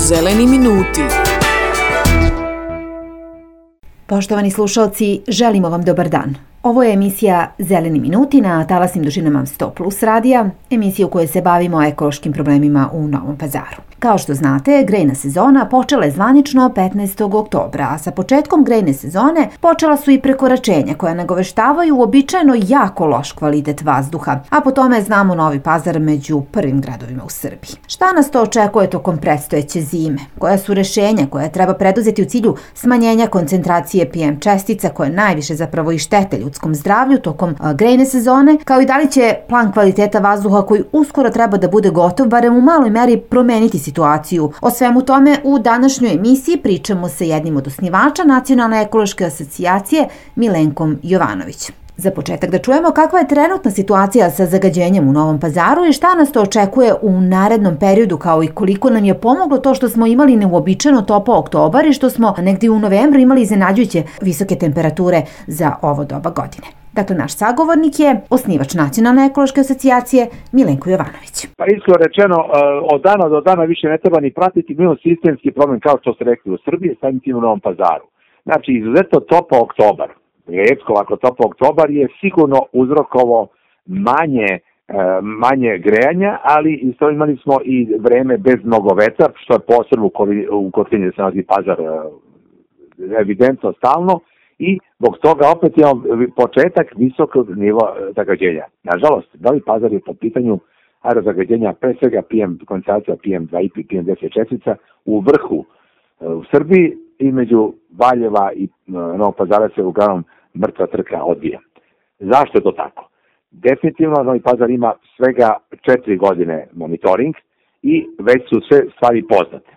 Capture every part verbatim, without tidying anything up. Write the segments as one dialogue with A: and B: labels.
A: Zeleni minuti.
B: Poštovani slušalci, želimo vam dobar dan. Ovo je emisija Zeleni minuti na talasnim dužinama sto plus radija, emisija u kojoj se bavimo ekološkim problemima u Novom Pazaru. Kao što znate, grejna sezona počela je zvanično petnaestog oktobra, a sa početkom grejne sezone počela su i prekoračenja koja nagoveštavaju uobičajeno jako loš kvalitet vazduha, a po tome znamo Novi Pazar među prvim gradovima u Srbiji. Šta nas to očekuje tokom predstojeće zime? Koja su rešenja koja treba preduzeti u cilju smanjenja koncentracije P M čestica koje najviše zapravo i štete ljudskom zdravlju tokom grejne sezone, kao i da li će plan kvaliteta vazduha koji uskoro treba da bude gotov, barem u maloj meri promeniti situaciju. O svemu tome u današnjoj emisiji pričamo sa jednim od osnivača Nacionalne ekološke asocijacije, Milenkom Jovanovićem. Za početak da čujemo kakva je trenutna situacija sa zagađenjem u Novom Pazaru i šta nas to očekuje u narednom periodu, kao i koliko nam je pomoglo to što smo imali neuobičajeno topao oktobar i što smo negdje u novembru imali iznenađujuće visoke temperature za ovo doba godine. Dakle, naš sagovornik je osnivač Nacionalne ekološke asocijacije, Milenko Jovanović.
C: Pa iskreno rečeno, od dana do dana više ne treba ni pratiti, mi imamo sistemski problem, kao što ste rekli, u Srbiji, samim tim u Novom Pazaru. Znači, izuzetno topao oktobar, retko ovako topao oktobar je sigurno uzrokovao manje, manje grejanja, ali isto imali smo i vreme bez mnogo vetra, što je posebno u kotlini se nalazi Pazar evidentno stalno, i zbog toga opet imamo početak visokog nivoa zagađenja. Nažalost, Novi Pazar je po pitanju aerozagađenja, pre svega P M, koncentracija P M dva i P M deset čestica u vrhu u Srbiji, između Valjeva i Novog Pazara se uglavnom mrtva trka odvija. Zašto je to tako? Definitivno Novi Pazar ima svega četiri godine monitoring i već su sve stvari poznate.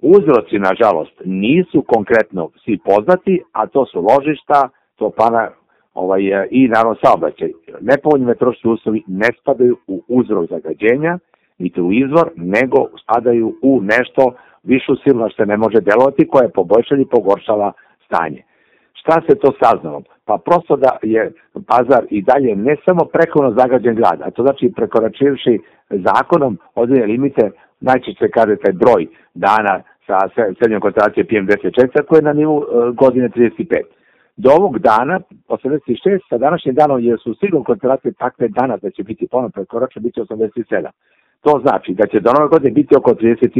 C: Uzroci, nažalost, nisu konkretno svi poznati, a to su ložišta, to pana ovaj, i naravno saobraćaj. Nepovoljni meteorološki uslovi ne spadaju u uzrok zagađenja, niti u izvor, nego spadaju u nešto višu silu na što se ne može delovati, koja je poboljšala i pogoršala stanje. Šta se to saznalo? Pa prosto da je Pazar i dalje ne samo prekomjerno zagađen grad, a to znači prekoračivši zakonom određene limite, najčešće kaže taj broj dana sa srednjom koncentracijom P M deset čestica koje je na nivou godine trideset pet. Do ovog dana, osamdeset šest, sa današnjim danom jer su sigurno koncentracije takve dana da će biti ponovno prekoračeno, bit će osamdeset sedam. To znači da će do nove godine biti oko, trideset,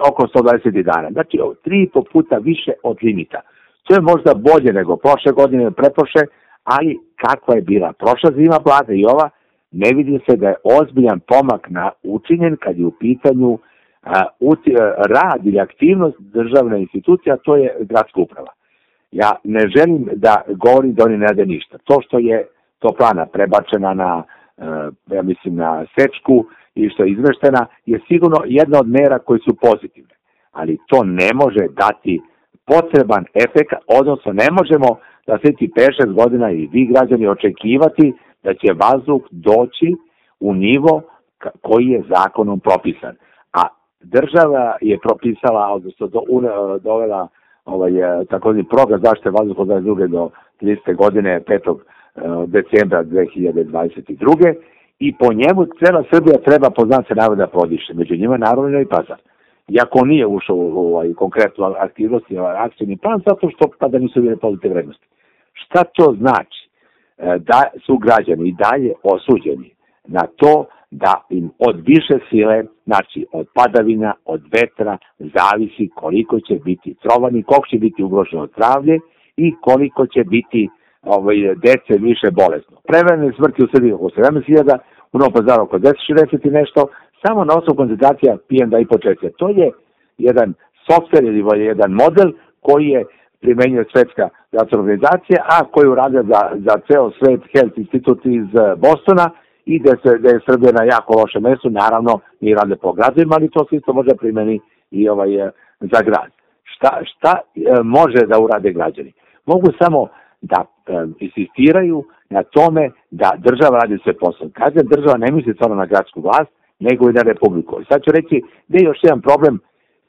C: oko sto dvadeset dana. Znači tri i po puta više od limita. To je možda bolje nego prošle godine ili pretprošle, ali kakva je bila prošla zima, vlada i ova, ne vidi se da je ozbiljan pomak na učinjen kad je u pitanju a, uti, rad ili aktivnost državne institucije, a to je gradska uprava. Ja ne želim da govorim da oni ne rade ništa. To što je toplana prebačena na, ja mislim, na Sečku i što je izmeštena je sigurno jedna od mera koje su pozitivne. Ali to ne može dati potreban efekt, odnosno ne možemo da sljedeći pet šest godina i vi građani očekivati da će vazduh doći u nivo koji je zakonom propisan. A država je propisala, odnosno do, dovela ovaj, takozvani program zaštite vazduha od dvadeset druge do tridesete godine, petog decembra dve hiljade dvadeset druge i po njemu cela Srbija treba po znaku navoda prodiše. Među njima naravno i Novi Pazar. Iako nije ušao u ovaj, konkretnu aktivnost i ovaj, akcijni plan, zato što tada nisu bile pozitivne vrednosti. Šta to znači? Da su građani i dalje osuđeni na to da im od više sile, znači od padavina, od vetra, zavisi koliko će biti trovani, koliko će biti ugroženo zdravlje i koliko će biti ovaj, dece više bolesno. Prevremene smrti u Srbiji oko sedamnaest hiljada, u Novom Pazaru oko deset šezdeset i nešto, samo na osnovu koncentracija P M dva i po čestica. To je jedan softver ili jedan model koji je primenjuje Svetska zdravstvena organizacija, a koju rade za, za ceo svet Health Institute iz Bostona i da se da je Srbija na jako lošem mestu, naravno mi rade po gradovima, ali to se isto može primeni i ovaj, za grad. Šta, šta može da urade građani? Mogu samo da um, insistiraju na tome da država radi sve posao. Kažem, država ne misli samo na gradsku vlast, nego i na republiku. I sad ću reći da je još jedan problem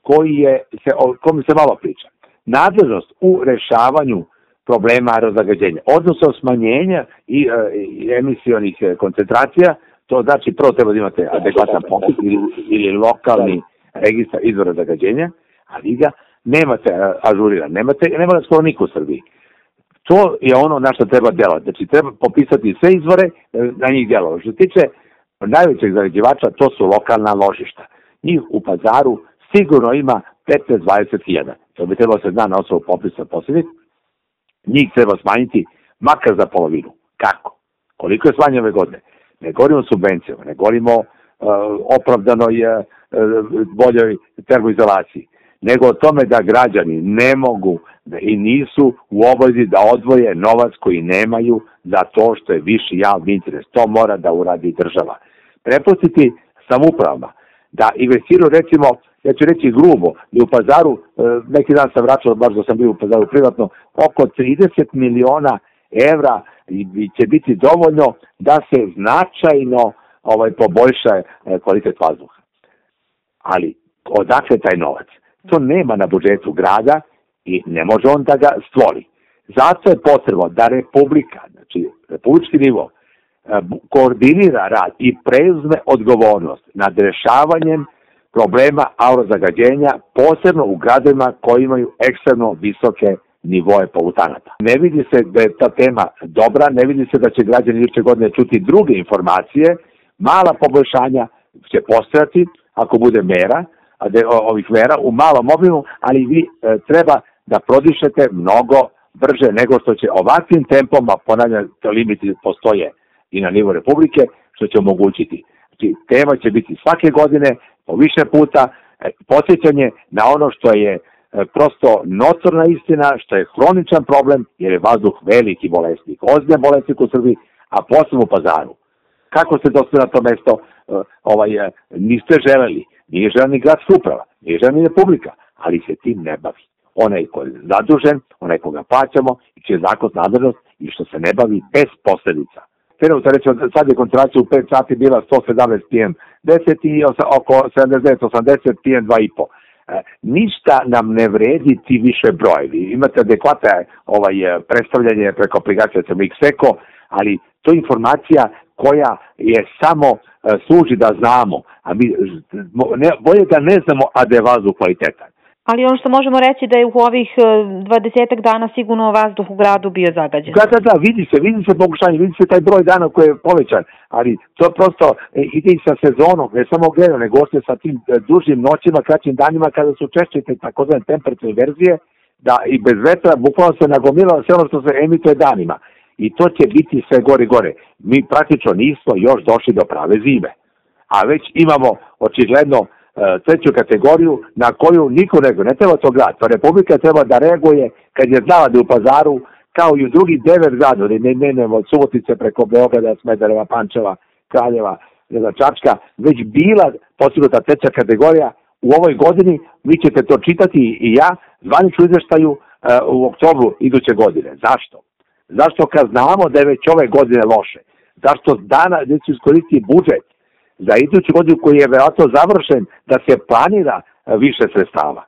C: koji je, se, o kom se malo priča. Nadležnost u rešavanju problema aerozagađenja, odnosno smanjenja i, i emisijonih koncentracija, to znači prvo treba da imate adekvatan popis ili, ili lokalni registar izvora zagađenja, a vi ga nemate ažuriran, nemate, nema ga skoro niko u Srbiji. To je ono na što treba djelovati. Znači, treba popisati sve izvore, na njih djelovati. Što se tiče najvećeg zagađivača, to su lokalna ložišta. Njih u Pazaru sigurno ima petnaest do dvadeset hiljada. To bi trebalo se zna na osnovu popisa posljednjih. Njih treba smanjiti makar za polovinu. Kako? Koliko je smanjeno ove godine? Ne govorimo o subvencijama, ne govorimo o uh, opravdanoj uh, boljoj termoizolaciji, nego o tome da građani ne mogu da i nisu u obavezi da odvoje novac koji nemaju za to što je viši javni interes. To mora da uradi država. Prepustiti samoupravama da investiraju, recimo, ja ću reći grubo, i u Pazaru, neki dan sam vraćao, baš da sam bio u Pazaru privatno, oko trideset miliona evra će biti dovoljno da se značajno ovaj, poboljša kvalitet vazduha. Ali odakle taj novac? To nema na budžetu grada i ne može on da ga stvori. Zato je potrebno da Republika, znači republički nivo, koordinira rad i preuzme odgovornost nad rešavanjem problema aerozagađenja, posebno u gradovima koji imaju ekstremno visoke nivoe polutanata. Ne vidi se da je ta tema dobra, ne vidi se da će građani iduće godine čuti druge informacije, mala poboljšanja će postojati ako bude mera, ovih mera u malom obimu, ali vi e, treba da prodišete mnogo brže nego što će ovakvim tempom, a ponavljam, to limiti postoje i na nivou Republike, što će omogućiti. Znači, tema će biti svake godine, po više puta, e, podsjećanje na ono što je e, prosto notorna istina, što je hroničan problem, jer je vazduh veliki bolesnik, ozbiljan bolesnik u Srbiji, a posebno u Pazaru. Kako ste došli na to mesto, e, ovaj, e, niste želeli, nije želeni gradska uprava, nije želeni Republika, ali se tim ne bavi. Onaj ko je zadužen, onaj koga plaćamo i čije zakon nadležnost i što se ne bavi bez posledica. Trenutno reći, sad je koncentracija u pet sati bila sto sedamnaest P M deset i oko sedamdeset devet osamdeset P M dva i po. E, ništa nam ne vredi ti više brojevi. Imate adekvatne ovaj, predstavljanje preko aplikacije Xeko, ali to je informacija koja je samo e, služi da znamo, a mi ne, bolje da ne znamo, a da je vazduh kvalitetan.
A: Ali ono što možemo reći da je u ovih dvadesetak dana sigurno vazduh u gradu bio zagađen.
C: Da, da, da, vidi se, vidi se pokušanje, vidi se taj broj dana koji je povećan, ali to prosto ide i sa sezonom, ne samo gledano, nego ošte sa tim dužim noćima, kraćim danima kada su češće te takozvane temperaturne verzije, da i bez vetra bukvalno se nagomilalo sve ono što se emituje danima. I to će biti sve gore i gore. Mi praktično nismo još došli do prave zime. A već imamo očigledno treću kategoriju na koju niko reaguje. Ne treba to grad. To Republika treba da reaguje kad je znala da u Pazaru, kao i u drugih devet gradova, ne menemo od Subotice preko Beograda, Smedereva, Pančeva, Kraljeva, Čačka, već bila postignuta treća kategorija. U ovoj godini vi ćete to čitati i ja zvaničnu izveštaju u oktobru iduće godine. Zašto? Zašto kad znamo da je već ove godine loše? Zašto dana neću iskoristiti budžet za iduću godinu koji je verovatno završen da se planira više sredstava?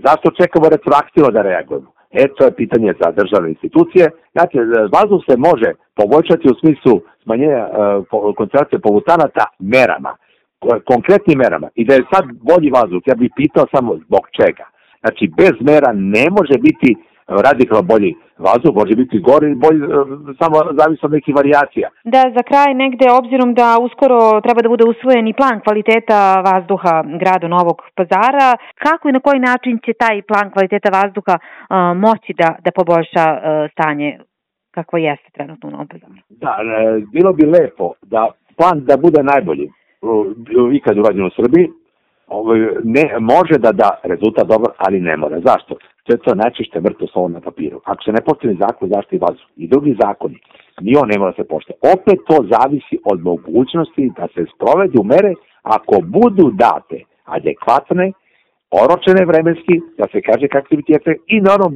C: Zašto čekamo retroaktivno da reagujemo? E, to je pitanje za državne institucije. Znači, vazduh se može poboljšati u smislu smanjenja uh, koncentracije polutanata merama, konkretnim merama. I da je sad bolji vazduh, ja bih pitao samo zbog čega. Znači, bez mera ne može biti radikalno bolji vazduh, može biti gori i bolji, samo zavisno od nekih varijacija.
A: Da, za kraj negde, obzirom da uskoro treba da bude usvojen i plan kvaliteta vazduha grada Novog Pazara, kako i na koji način će taj plan kvaliteta vazduha uh, moći da, da poboljša uh, stanje kako jeste trenutno u Novom Pazaru? Da,
C: e, bilo bi lepo da plan da bude najbolji uh, ikad urađen u Srbiji. Ne, može da da rezultat dobar, ali ne mora. Zašto? To je to najčešće mrtvo slovo na papiru. Ako se ne postavi zakon zaštiti vazduha i drugi zakoni, ni on ne mora da se poštuje. Opet to zavisi od mogućnosti da se sprovedu mere ako budu date adekvatne, oročene vremenski, da se kaže kakvi će biti efekt i naravno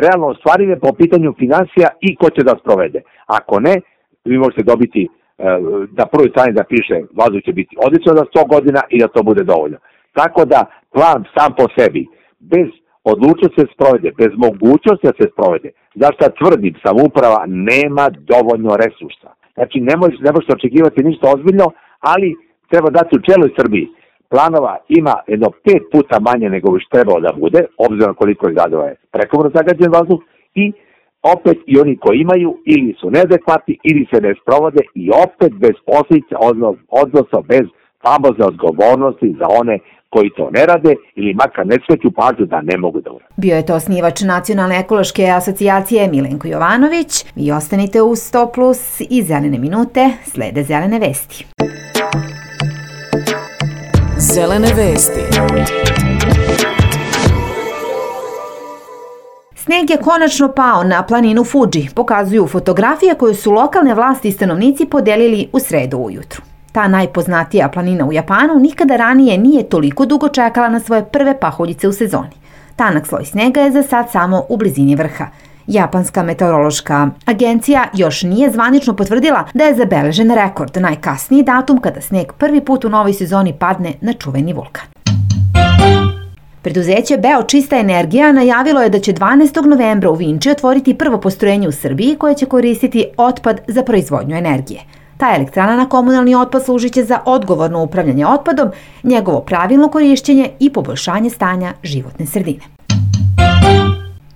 C: realno ostvarive po pitanju finansija i ko će da sprovede. Ako ne, vi možete dobiti da prvoj strani da piše vazduh će biti odlično za sto godina i da to bude dovoljno. Tako da plan sam po sebi, bez odlučnosti se sprovede, bez mogućnosti da se sprovede, zašto tvrdim, samouprava nema dovoljno resursa. Znači ne možete ne možete očekivati ništa ozbiljno, ali treba dati u čeloj Srbiji planova ima jedno pet puta manje nego što trebalo da bude, obzirom koliko je gradova je prekomjerno zagađen vazduh, i opet i oni koji imaju ili su neadekvatni ili se ne sprovode i opet bez posljedica, odnosno bez famozne odgovornosti za one koji to ne rade ili makar ne skreću pažnju da ne mogu da urade.
B: Bio je to osnivač Nacionalne ekološke asocijacije Milenko Jovanović. Vi ostanite u sto plus i Zelene minute, slede Zelene vesti.
D: Zelene vesti.
B: Sneg je konačno pao na planinu Fuji, pokazuju fotografije koje su lokalne vlasti i stanovnici podelili u sredu ujutru. Ta najpoznatija planina u Japanu nikada ranije nije toliko dugo čekala na svoje prve pahuljice u sezoni. Tanak sloj snega je za sad samo u blizini vrha. Japanska meteorološka agencija još nije zvanično potvrdila da je zabeležen rekord, najkasniji datum kada sneg prvi put u novoj sezoni padne na čuveni vulkan. Preduzeće Beo Čista energija najavilo je da će dvanaestog novembra u Vinči otvoriti prvo postrojenje u Srbiji koje će koristiti otpad za proizvodnju energije. Ta elektrana na komunalni otpad služit će za odgovorno upravljanje otpadom, njegovo pravilno korišćenje i poboljšanje stanja životne sredine.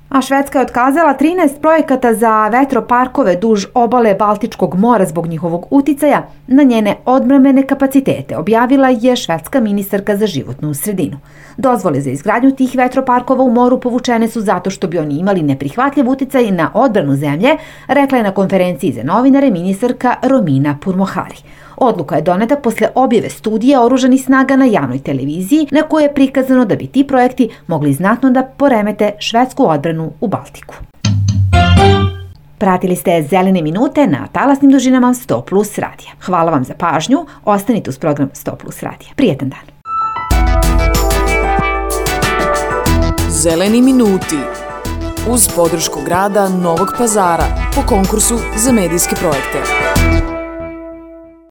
B: A Švedska je otkazala trinaest projekata za vetroparkove duž obale Baltičkog mora zbog njihovog uticaja na njene odbrambene kapacitete, objavila je švedska ministarka za životnu sredinu. Dozvole za izgradnju tih vetroparkova u moru povučene su zato što bi oni imali neprihvatljiv uticaj na odbranu zemlje, rekla je na konferenciji za novinare ministarka Romina Pourmokhtari. Odluka je doneta posle objave studije oružanih snaga na javnoj televiziji na kojoj je prikazano da bi ti projekti mogli znatno da poremete švedsku odbranu u Baltiku. Pratili ste Zelene minute na talasnim dužinama sto plus radija. Hvala vam za pažnju, ostanite uz program sto plus radija. Prijetan dan.
D: Zeleni minuti uz podršku grada Novog Pazara po konkursu za medijske projekte.